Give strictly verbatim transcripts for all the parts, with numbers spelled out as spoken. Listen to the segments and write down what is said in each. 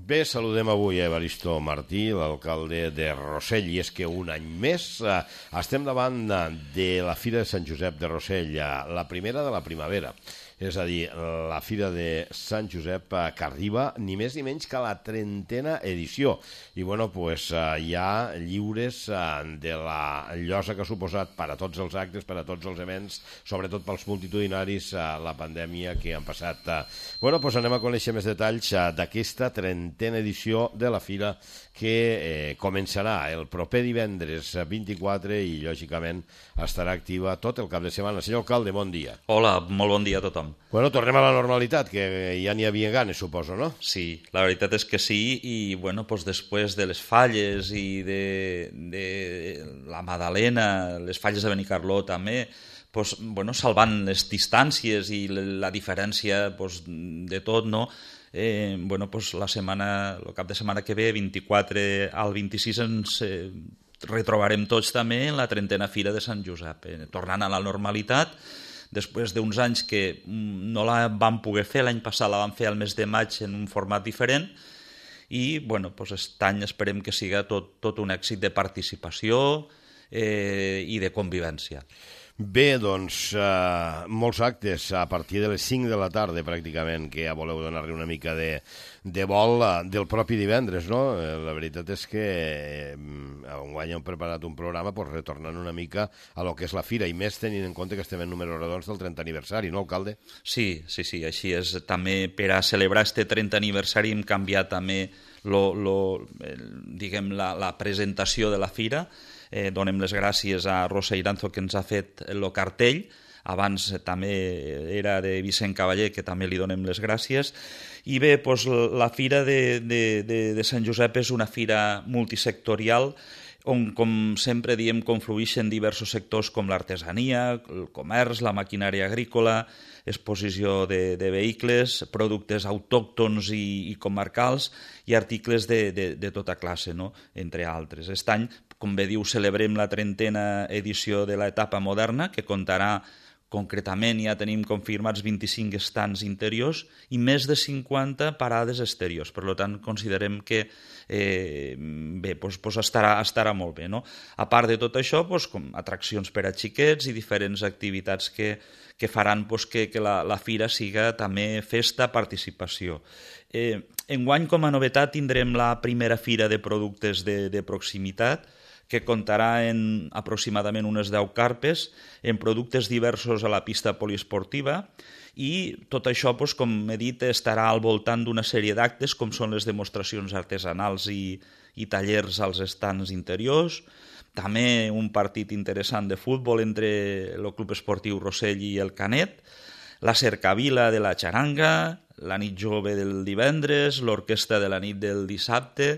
Bé, saludem avui a Evaristo Martí, l'alcalde de Rossell, i és que un any més eh, estem davant de la Fira de Sant Josep de Rossell, eh, la primera de la primavera. És a dir, la Fira de Sant Josep eh, que arriba ni més ni menys que a la trentena edició. I bueno, pues, eh, hi ha lliures eh, de la llosa que ha suposat per a tots els actes, per a tots els events, sobretot pels multitudinaris, eh, la pandèmia que han passat. Eh. Bueno, pues anem a conèixer més detalls eh, d'aquesta trentena edició de la Fira que eh, començarà el proper divendres vint-i-quatre i, lògicament, estarà activa tot el cap de setmana. Senyor alcalde, bon dia. Hola, molt bon dia a tothom. Bueno, tornem a la normalitat, que ja n'hi havia ganes, suposo, no? Sí, la veritat és que sí, i bueno, pues després de les falles i de, de la Madalena, les falles de Benicarló també, pues, bueno, salvant les distàncies i la diferència pues, de tot, no? Eh, bueno, pues la setmana, el cap de setmana que ve, vint-i-quatre al vint-i-sis, ens eh, retrobarem tots també en la trentena Fira de Sant Josep, eh, tornant a la normalitat, després d'uns anys que no la vam poder fer, l'any passat la vam fer al mes de maig en un format diferent, i bueno, pues aquest any esperem que siga tot, tot un èxit de participació eh, i de convivència. Bé, doncs, eh, molts actes a partir de les cinc de la tarda, pràcticament, que ja voleu donar-li una mica de, de vol eh, del propi divendres, no? Eh, la veritat és que eh, enguany hem preparat un programa pues, retornant una mica a lo que és la Fira, i més tenint en compte que estem en números redons del trentè aniversari, no, alcalde? Sí, sí, sí, així és. També per a celebrar este trentè aniversari hem canviat també lo, lo, el, diguem, la, la presentació de la Fira. Eh, donem les gràcies a Rosa Iranzo, que ens ha fet el cartell. Abans també era de Vicent Cavaller, que també li donem les gràcies. I bé, doncs, la Fira de, de, de, de Sant Josep és una fira multisectorial on, com sempre diem, confluïxen diversos sectors com l'artesania, el comerç, la maquinària agrícola, exposició de, de vehicles, productes autòctons i, i comarcals i articles de, de, de tota classe, no? Entre altres. Aquest any, com bé diu, celebrem la trentena edició de l'etapa moderna, que comptarà concretament, ja tenim confirmats vint-i-cinc estants interiors i més de cinquanta parades exteriors. Per tant, considerem que eh, bé, doncs, doncs estarà, estarà molt bé. No? A part de tot això, doncs, com atraccions per a xiquets i diferents activitats que, que faran doncs, que, que la, la fira siga també festa, participació. Eh, enguany, com a novetat, tindrem la primera fira de productes de, de proximitat, que comptarà en aproximadament unes deu carpes, en productes diversos a la pista poliesportiva, i tot això, doncs, com he dit, estarà al voltant d'una sèrie d'actes, com són les demostracions artesanals i, i tallers als estants interiors, també un partit interessant de futbol entre el Club Esportiu Rossell i el Canet, la cercavila de la xaranga, la nit jove del divendres, l'orquestra de la nit del dissabte,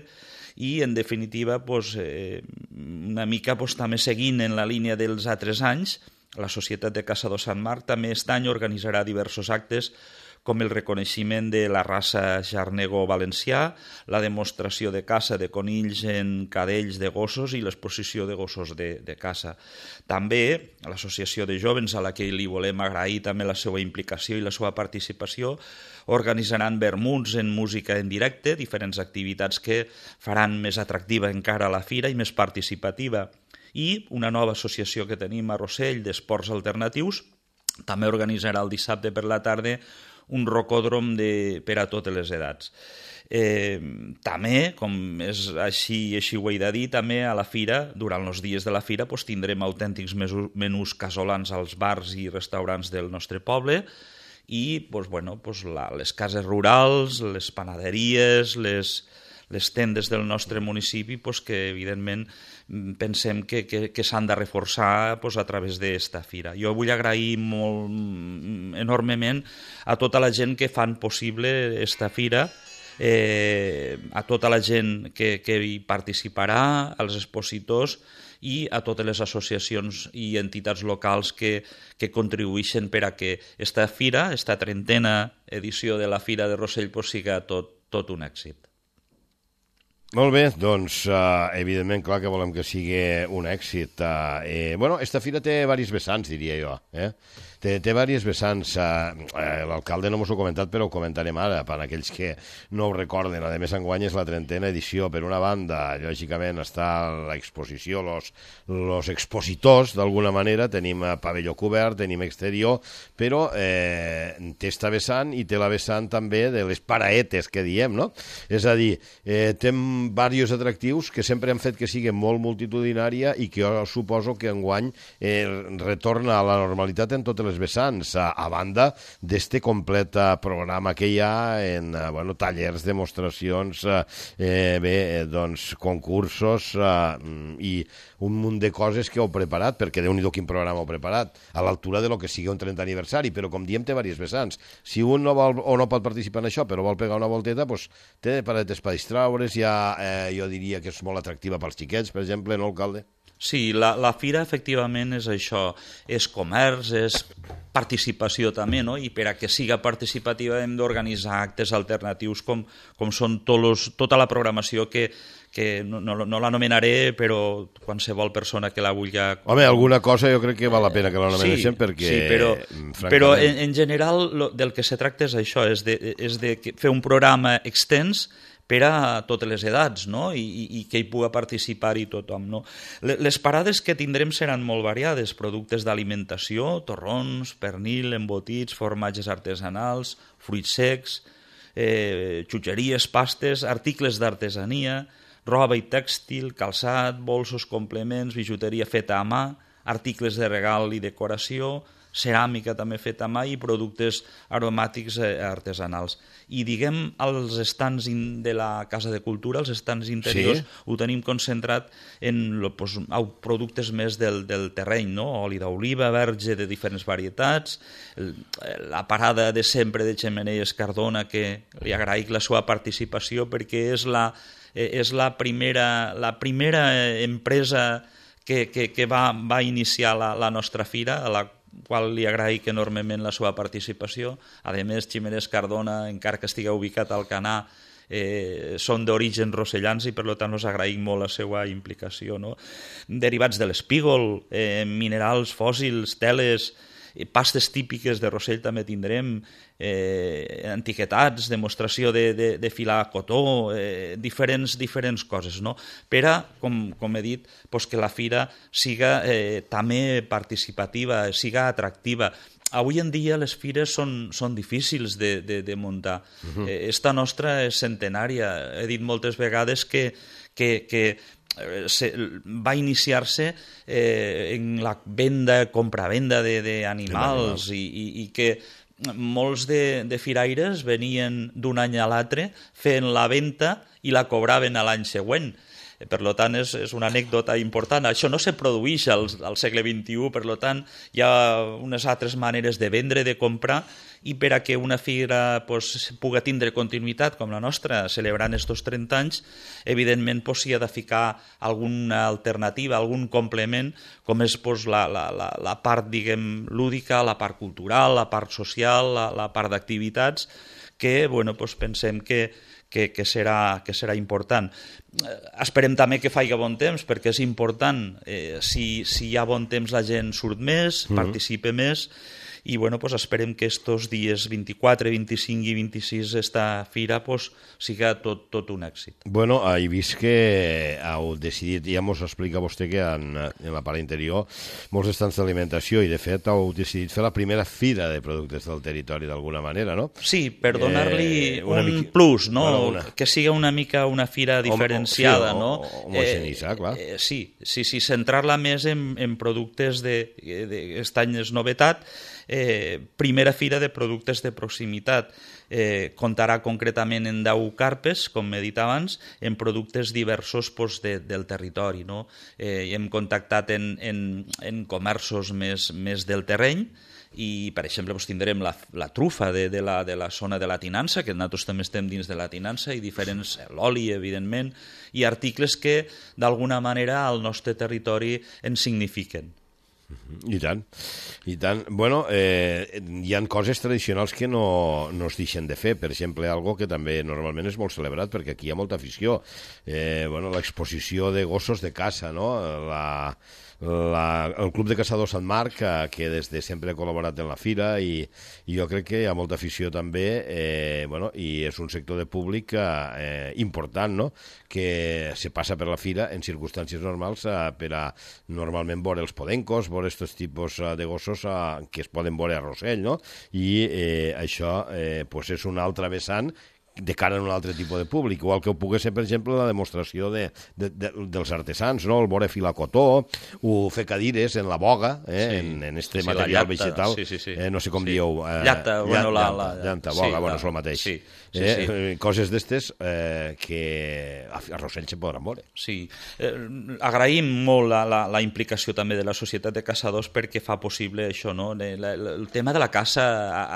i, en definitiva, doncs, eh, una mica doncs, també seguint en la línia dels altres anys, la Societat de Caçadors Sant Marc també aquest any organitzarà diversos actes com el reconeixement de la raça xarnego valencià, la demostració de caça de conills en cadells de gossos i l'exposició de gossos de, de caça. També l'Associació de Jovens, a la que li volem agrair també la seva implicació i la seva participació, organitzaran vermuts en música en directe, diferents activitats que faran més atractiva encara la fira i més participativa. I una nova associació que tenim a Rossell d'esports alternatius també organitzarà el dissabte per la tarda un rocòdrom de, per a totes les edats. Eh, també, com és així, així ho he de dir, també a la fira, durant els dies de la fira, doncs, tindrem autèntics menús casolans als bars i restaurants del nostre poble, i doncs, bueno, doncs, la, les cases rurals, les panaderies, les, les tendes del nostre municipi, doncs, que evidentment pensem que, que, que s'han de reforçar doncs, a través d'esta fira. Jo vull agrair molt, enormement a tota la gent que fan possible esta fira, eh, a tota la gent que, que hi participarà, als expositors i a totes les associacions i entitats locals que, que contribueixen per a que esta fira, esta trentena edició de la Fira de Rossell, pues, siga tot, tot un èxit. Molt bé, doncs, uh, evidentment, clar que volem que sigui un èxit. Uh, eh, bueno, esta fira té diversos vessants, diria jo. Eh? té, té diverses vessants. Eh, L'alcalde no mos ho ha comentat, però ho comentarem ara, per aquells que no ho recorden. A més, enguany és la trentena edició. Per una banda, lògicament, està l'exposició, los, los expositors, d'alguna manera, tenim pavelló cobert, tenim exterior, però eh, té esta vessant i té la vessant també de les paraetes, que diem, no? És a dir, eh, té diversos atractius que sempre han fet que sigui molt multitudinària i que jo suposo que enguany eh, retorna a la normalitat en totes les vessants, a, a banda d'este complet programa que hi ha en eh, bueno, tallers, demostracions, eh, bé, eh, doncs, concursos eh, i un munt de coses que heu preparat, perquè déu-n'hi-do quin programa heu preparat, a l'altura de lo que sigui un trentè aniversari, però com diem té diverses vessants. Si un no vol o no pot participar en això, però vol pegar una volteta, doncs té paradetes per distraure's, ja eh, jo diria que és molt atractiva pels xiquets, per exemple, no, alcalde? Sí, la, la fira efectivament és això, és comerç, és participació també, no? I per a que siga participativa hem d'organitzar actes alternatius com, com són los, tota la programació que, que no, no, no l'anomenaré, però qualsevol persona que la vulgui... Home, alguna cosa jo crec que val la pena que l'anomenéssim, sí, perquè... Sí, però, francament... però en, en general lo, del que se tracta és això, és de, és de fer un programa extens per a totes les edats, no? I, i, i que hi pugui participar-hi tothom, no? Les parades que tindrem seran molt variades, productes d'alimentació, torrons, pernil, embotits, formatges artesanals, fruits secs, eh, xutxeries, pastes, articles d'artesania, roba i tèxtil, calçat, bolsos, complements, bijuteria feta a mà, articles de regal i decoració, ceràmica també feta a mà i productes aromàtics artesanals. I diguem, als estants de la Casa de Cultura, els estants interiors, sí, ho tenim concentrat en pues, productes més del, del terreny, no? Oli d'oliva, verge de diferents varietats, la parada de sempre de Xemeneies Cardona, que li agraïc la seva participació perquè és la, és la, primera, la primera empresa que, que, que va, va iniciar la, la nostra fira, a la qual li agraïc enormement la seva participació. A més, Xemeneies Cardona, encara que estigui ubicat al Canà, eh, són d'origen rossellans i per tant us agraïm molt la seva implicació, no? Derivats de l'espígol, eh, minerals, fòssils, teles, pastes típiques de Rossell també tindrem, eh, etiquetats, demostració de, de, de filar cotó, eh, diferents, diferents coses, no? Per a, com, com he dit, pues que la fira siga eh, també participativa, siga atractiva. Avui en dia les fires són, són difícils de, de, de muntar. Uh-huh. eh, esta nostra és centenària. He dit moltes vegades que, que, que Se, va iniciar-se eh, en la venda, compra-venda d'animals i, i, i que molts de, de firaires venien d'un any a l'altre fent la venda i la cobraven a l'any següent. Per tant, és, és una anècdota important. Això no se produeix al, al segle vint-i-u, per tant, hi ha unes altres maneres de vendre, de comprar, i per a que una fira pues, pugui tindre continuïtat com la nostra, celebrant estos trenta anys, evidentment pues, s'hi ha de ficar alguna alternativa, algun complement, com és pues, la, la, la, la part, diguem, lúdica, la part cultural, la part social, la, la part d'activitats, que bueno, pues, pensem que Que, que, serà, que serà important. Eh, esperem també que faci bon temps, perquè és important. Eh, si, si hi ha bon temps la gent surt més, mm-hmm. participa més, i bueno, pues esperem que estos dies vint-i-quatre, vint-i-cinc i vint-i-sis esta fira pues, siga tot, tot un èxit. Bueno, he vist que heu decidit, ja mos explica vostè que en, en la part interior molts estants d'alimentació i de fet heu decidit fer la primera fira de productes del territori d'alguna manera, no? Sí, per donar-li eh, un mica... plus, no? Bueno, una... que siga una mica una fira diferenciada, o, o, no? Sí, homogeneïtzar, eh, clar. Eh, sí, sí, sí, centrar-la més en, en productes d'aquest any és novetat. Eh, primera fira de productes de proximitat. Eh, comptarà concretament en deu carpes, com he dit abans, en productes diversos pues, de, del territori. No? Eh, hem contactat en, en, en comerços més, més del terreny i, per exemple, doncs, tindrem la, la trufa de, de, la, de la zona de la tinança, que nosaltres també estem dins de la tinança, i diferents, l'oli, evidentment, i articles que, d'alguna manera, al nostre territori ens signifiquen. I tant, i tant. Bueno, eh, hi han coses tradicionals que no, no es deixen de fer. Per exemple, algo que també normalment és molt celebrat, perquè aquí hi ha molta afició. Eh, bueno, l'exposició de gossos de caça, no? La, la, el Club de Caçadors Sant Marc, que, que des de sempre ha col·laborat en la fira, i, i jo crec que hi ha molta afició també, eh, bueno, i és un sector de públic eh, important, no? Que se passa per la fira en circumstàncies normals eh, per a normalment veure els podencos, veure aquests tipus de gossos eh, que es poden veure a Rossell, no? I eh, això eh, pues és un altre vessant de cara a un altre tipus de públic, igual que ho pugui ser, per exemple, la demostració de, de, de, dels artesans, no? El veure filar cotó, o fer cadires en la boga, eh? sí. en, en este sí, material llata, vegetal, sí, sí, sí. Eh, no sé com sí. dieu. Eh, llata, bueno, la... la... Llanta, boga, sí, bueno, la... és el mateix. Sí, sí, eh? sí. Coses d'estes eh, que a Rossell se podran veure. Sí. Eh, agraïm molt la, la, la implicació també de la Societat de Caçadors perquè fa possible això, no? El, el tema de la caça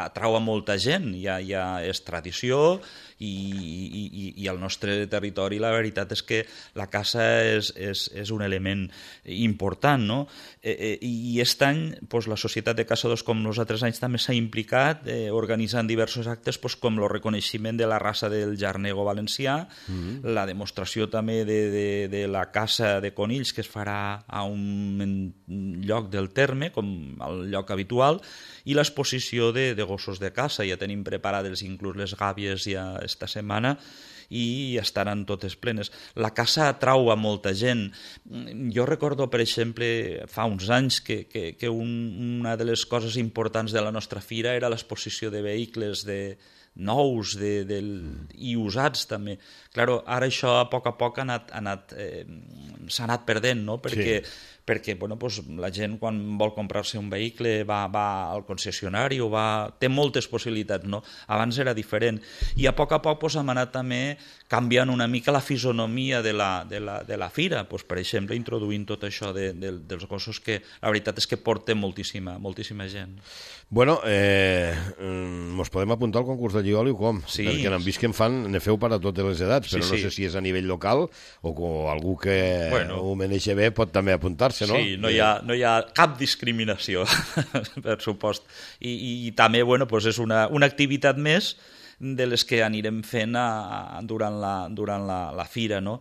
atrau a molta gent, ja, ja és tradició, i, i, i al nostre territori la veritat és que la caça és, és, és un element important, no? Eh, eh, I aquest any pues, la Societat de Caçadors, com els altres anys, també s'ha implicat eh, organitzant diversos actes pues, com el reconeixement de la raça del jarnego valencià, mm-hmm. la demostració també de, de, de la caça de conills que es farà a un lloc del terme, com el lloc habitual, i l'exposició de, de gossos de caça. Ja tenim preparades inclús les gàbies ja esta setmana i estaran totes plenes. La caça atrau a molta gent. Jo recordo, per exemple, fa uns anys que, que, que un, una de les coses importants de la nostra fira era l'exposició de vehicles de nous de, de, i usats també. Claro, ara això a poc a poc ha anat, ha anat, eh, s'ha anat perdent, no? Perquè, sí. perquè bueno, pues, la gent quan vol comprar-se un vehicle va, va al concessionari o va... té moltes possibilitats, no? Abans era diferent. I a poc a poc pues, hem anat també canviant una mica la fisonomia de la, de la, de la fira, pues, per exemple, introduint tot això de, de, dels gossos que la veritat és que porta moltíssima, moltíssima gent. Bueno, eh, mos podem apuntar al concurs de llioli o com? Sí. Perquè n'hem vist que en fan, ne feu per a totes les edats, però sí, no sí. sé si és a nivell local o que algú que bueno, ho maneja bé pot també apuntar-se, no? Sí, no hi ha, no hi ha cap discriminació, per supost. I, i, i també, bueno, pues és una, una activitat més de les que anirem fent a, a, durant, la, durant la, la fira, no?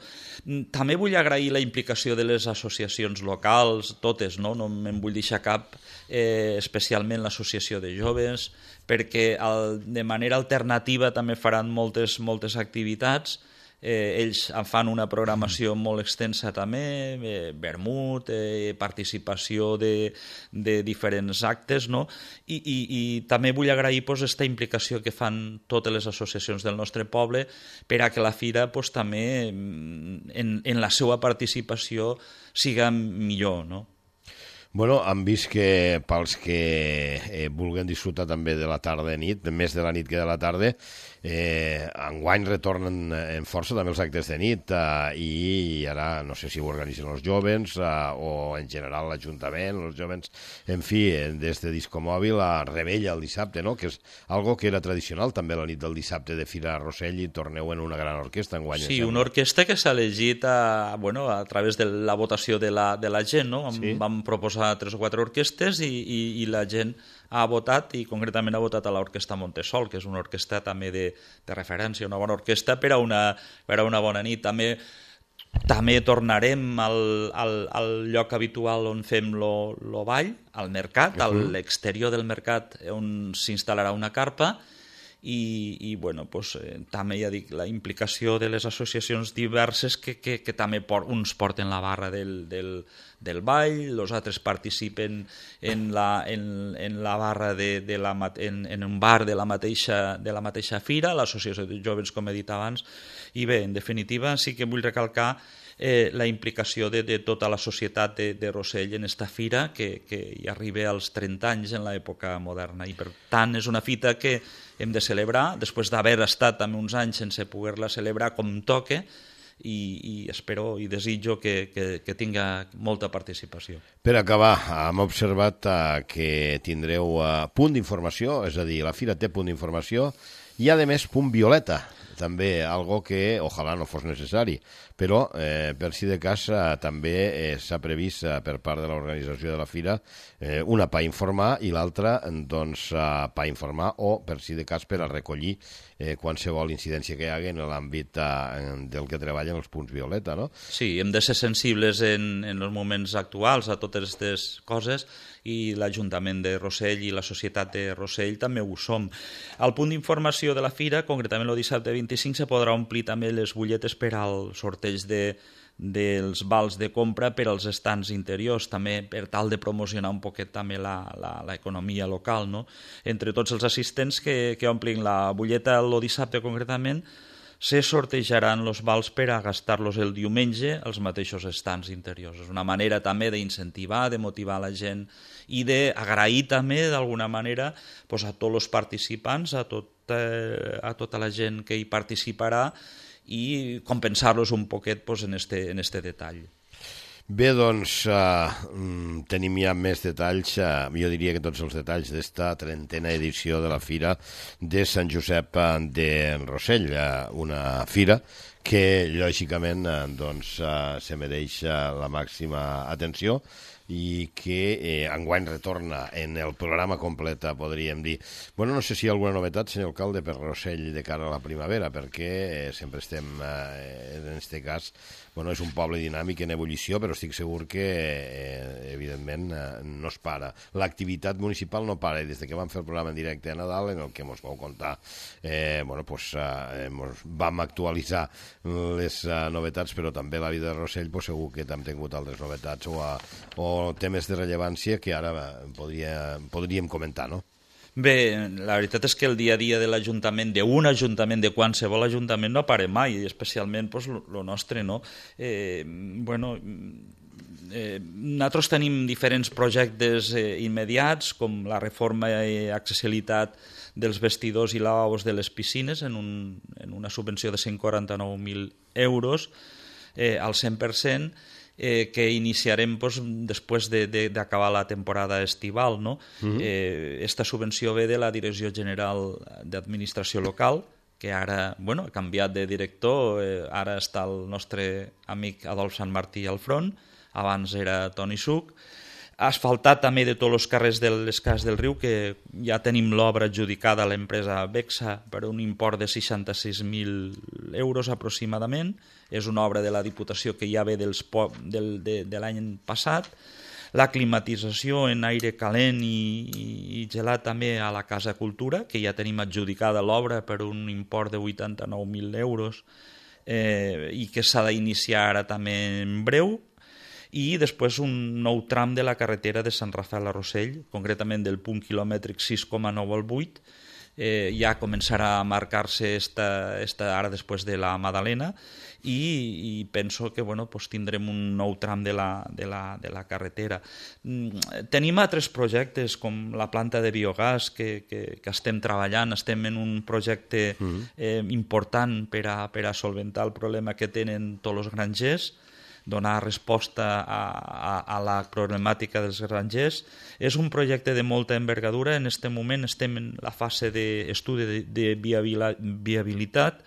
També vull agrair la implicació de les associacions locals, totes, no? No me'n vull deixar cap, eh, especialment l'associació de joves, perquè el, de manera alternativa també faran moltes, moltes activitats. Eh, ells en fan una programació molt extensa també, eh, vermut, eh, participació de, de diferents actes, no? I, i, i també vull agrair pues, aquesta implicació que fan totes les associacions del nostre poble per a que la fira pues, també en, en la seva participació siga millor, no? Bueno, hem vist que pels que eh, vulguin disfrutar també de la tarda i nit, més de la nit que de la tarda, eh, enguany retornen en força també els actes de nit eh, i ara no sé si ho organitzen els jovens eh, o en general l'Ajuntament, els jovens, en fi, des de Disco Mòbil a Rebella el dissabte, no? Que és algo que era tradicional també la nit del dissabte de Fira a Rossell i torneu en una gran orquestra enguany. Sí, una orquestra que s'ha elegit a, bueno, a través de la votació de la, de la gent, no? Sí. Vam proposar tres o quatre orquestes i, i, i la gent ha votat i concretament ha votat a l'Orquestra Montesol, que és una orquestra també de, de referència, una bona orquestra per a una, per a una bona nit. També també tornarem al, al, al lloc habitual on fem lo, lo ball, al mercat, uh -huh. a l'exterior del mercat on s'instal·larà una carpa. I, i bueno, pues, eh, també ja dic, la implicació de les associacions diverses que, que, que també por, uns porten la barra del, del, del ball, els altres participen en la, en, en la barra de, de la, en, en un bar de la mateixa, de la mateixa fira, l'associació de joves, com he dit abans, i bé, en definitiva sí que vull recalcar Eh, la implicació de, de tota la societat de, de Rossell en esta fira que, que hi arriba als trenta anys en l'època moderna i per tant és una fita que hem de celebrar després d'haver estat també uns anys sense poder-la celebrar com toque i, i espero i desitjo que, que, que tinga molta participació. Per acabar, hem observat uh, que tindreu uh, punt d'informació, és a dir, la fira té punt d'informació i a més punt violeta. també algo que ojalà no fos necessari, però eh, per si de cas eh, també eh, s'ha previst eh, per part de l'organització de la fira eh, una per informar i l'altra doncs, eh, per informar o per si de cas per a recollir eh, qualsevol incidència que hi hagi en l'àmbit eh, del que treballen els punts violeta, no? Sí, hem de ser sensibles en, en els moments actuals a totes aquestes coses i l'Ajuntament de Rossell i la Societat de Rossell també ho som. Al punt d'informació de la fira, concretament el dissabte vint-i-cinc, se podrà omplir també les butlletes per al sorteig de, dels vals de compra per als estants interiors, també per tal de promocionar un poquet també l'economia local, no? Entre tots els assistents que, que omplin la butlleta el dissabte concretament, se sortejaran els vals per a gastar-los el diumenge als mateixos estants interiors. És una manera també d'incentivar, de motivar la gent i d'agrair també d'alguna manera pues, a tots els participants, a, tot, eh, a tota la gent que hi participarà i compensar-los un poquet pues, en, este, en este detall. Bé, doncs, uh, tenim ja més detalls, uh, jo diria que tots els detalls d'esta trentena edició de la Fira de Sant Josep de Rossell, uh, una fira que, lògicament, uh, doncs, uh, se mereix uh, la màxima atenció i que eh, enguany retorna en el programa complet, podríem dir. Bueno, no sé si hi ha alguna novetat, senyor alcalde, per Rossell de cara a la primavera, perquè eh, sempre estem, eh, en aquest cas, bueno, és un poble dinàmic en ebullició, però estic segur que, eh, evidentment, eh, no es para. L'activitat municipal no para, i des que vam fer el programa en directe a Nadal, en el que ens vau contar, eh, bueno, pues, eh, mos vam actualitzar les eh, novetats, però també la vida de Rossell, pues, segur que hem tingut altres novetats o, a, o temes de rellevància que ara podria, podríem comentar, no? Bé, la veritat és que el dia a dia de l'Ajuntament, d'un Ajuntament, de qualsevol Ajuntament, no para mai, i especialment pues, lo nostre, no? Eh, bueno, eh, nosaltres tenim diferents projectes eh, immediats, com la reforma i accessibilitat dels vestidors i lavabos de les piscines en, un, en una subvenció de cent quaranta-nou mil euros eh, al cent per cent, Eh, que iniciarem pues, després d'acabar de, de, la temporada estival. No? Uh-huh. eh, esta subvenció ve de la Direcció General d'Administració Local, que ara bueno, ha canviat de director, eh, ara està el nostre amic Adolf Sant Martí al front, abans era Toni Suc. Ha asfaltat també de tots els carrers de les Cases del Riu, que ja tenim l'obra adjudicada a l'empresa Bexa per un import de seixanta-sis mil euros aproximadament. És una obra de la Diputació que ja ve dels po del, de, de l'any passat. La climatització en aire calent i, i, i gelat també a la Casa Cultura, que ja tenim adjudicada l'obra per un import de vuitanta-nou mil euros eh, i que s'ha d'iniciar ara també en breu. I després un nou tram de la carretera de Sant Rafael a Rossell, concretament del punt quilomètric sis coma nou al vuit, eh, ja començarà a marcar-se esta, esta ara després de la Madalena i, i penso que bueno, pues tindrem un nou tram de la, de la, de la carretera. Tenim altres projectes com la planta de biogàs que, que, que estem treballant, estem en un projecte eh, important per a, per a solventar el problema que tenen tots els grangers, donar resposta a, a, a la problemàtica dels grangers. És un projecte de molta envergadura. En aquest moment estem en la fase d'estudi de, de viabilitat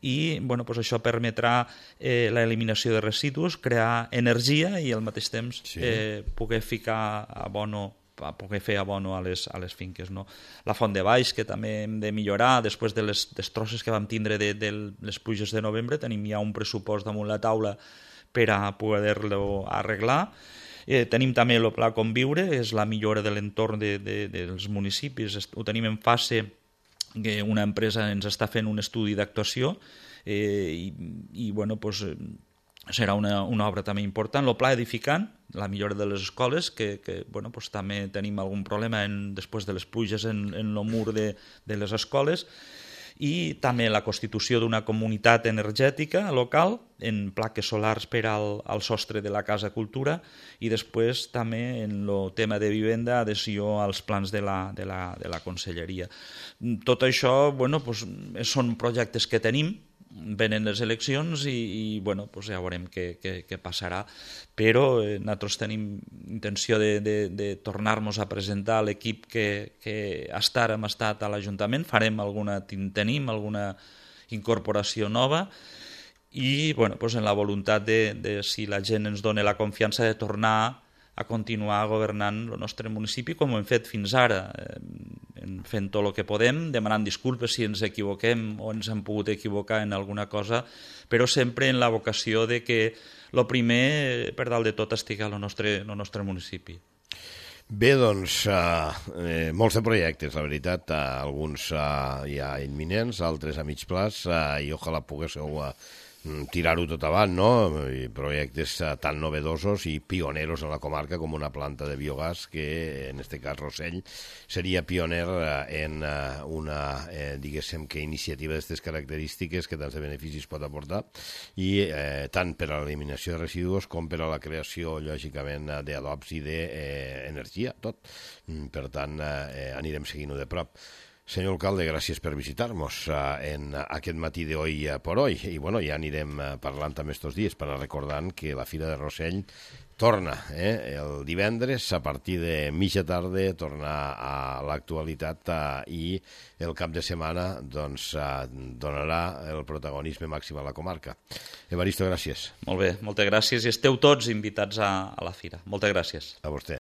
i bueno, pues això permetrà eh, l'eliminació de residus, crear energia i al mateix temps sí. eh, poder ficar abono a poder fer abono a les, a les finques. No? La font de baix, que també hem de millorar, després de les destrosses que vam tindre de, de les pluges de novembre, tenim ja un pressupost damunt la taula per a poder-lo arreglar. Eh, tenim també el Pla Conviure, és la millora de l'entorn de, de, dels municipis. Ho tenim en fase que una empresa ens està fent un estudi d'actuació eh, i, i bueno, pues, serà una, una obra també important. El Pla Edificant, la millora de les escoles, que, que bueno, pues, també tenim algun problema en, després de les pluges en, en el mur de, de les escoles, i també la constitució d'una comunitat energètica local en plaques solars per al, al sostre de la Casa Cultura i després també en el tema de vivenda, adhesió als plans de la, de la, de la Conselleria. Tot això bueno, pues, són projectes que tenim, venen les eleccions i, i bueno, pues ja veurem què, què, què passarà, però eh, nosaltres tenim intenció de, de, de tornar-nos a presentar l'equip que, que estar hem estat a l'Ajuntament, farem alguna, tenim alguna incorporació nova, i bueno, doncs en la voluntat de, de si la gent ens dona la confiança de tornar a continuar governant el nostre municipi com ho hem fet fins ara, eh, fent tot el que podem, demanant disculpes si ens equivoquem o ens hem pogut equivocar en alguna cosa, però sempre en la vocació de que el primer, per dalt de tot, estigui al nostre, al nostre municipi. Bé, doncs, eh, molts de projectes, la veritat, eh, alguns eh, ja imminents, altres a mig plaç, eh, i ojalà poguéssiu eh, tirar-ho tot avant, no? I projectes eh, tan novedosos i pioneros en la comarca com una planta de biogàs que, en este cas, Rossell, seria pioner eh, en eh, una, eh, diguéssim, que iniciativa d'aquestes característiques que tants de beneficis pot aportar, i eh, tant per a l'eliminació de residus com per a la creació, lògicament, d'adobs i d'energia, tot. Per tant, eh, anirem seguint-ho de prop. Senyor alcalde, gràcies per visitar-nos en aquest matí de hoy por hoy. I bueno, ja anirem parlant també estos dies per anar recordant que la Fira de Rossell torna eh, el divendres a partir de mitja tarda, torna a l'actualitat eh, i el cap de setmana doncs, eh, donarà el protagonisme màxim a la comarca. Evaristo, gràcies. Molt bé, moltes gràcies i esteu tots invitats a, a la Fira. Moltes gràcies. A vostè.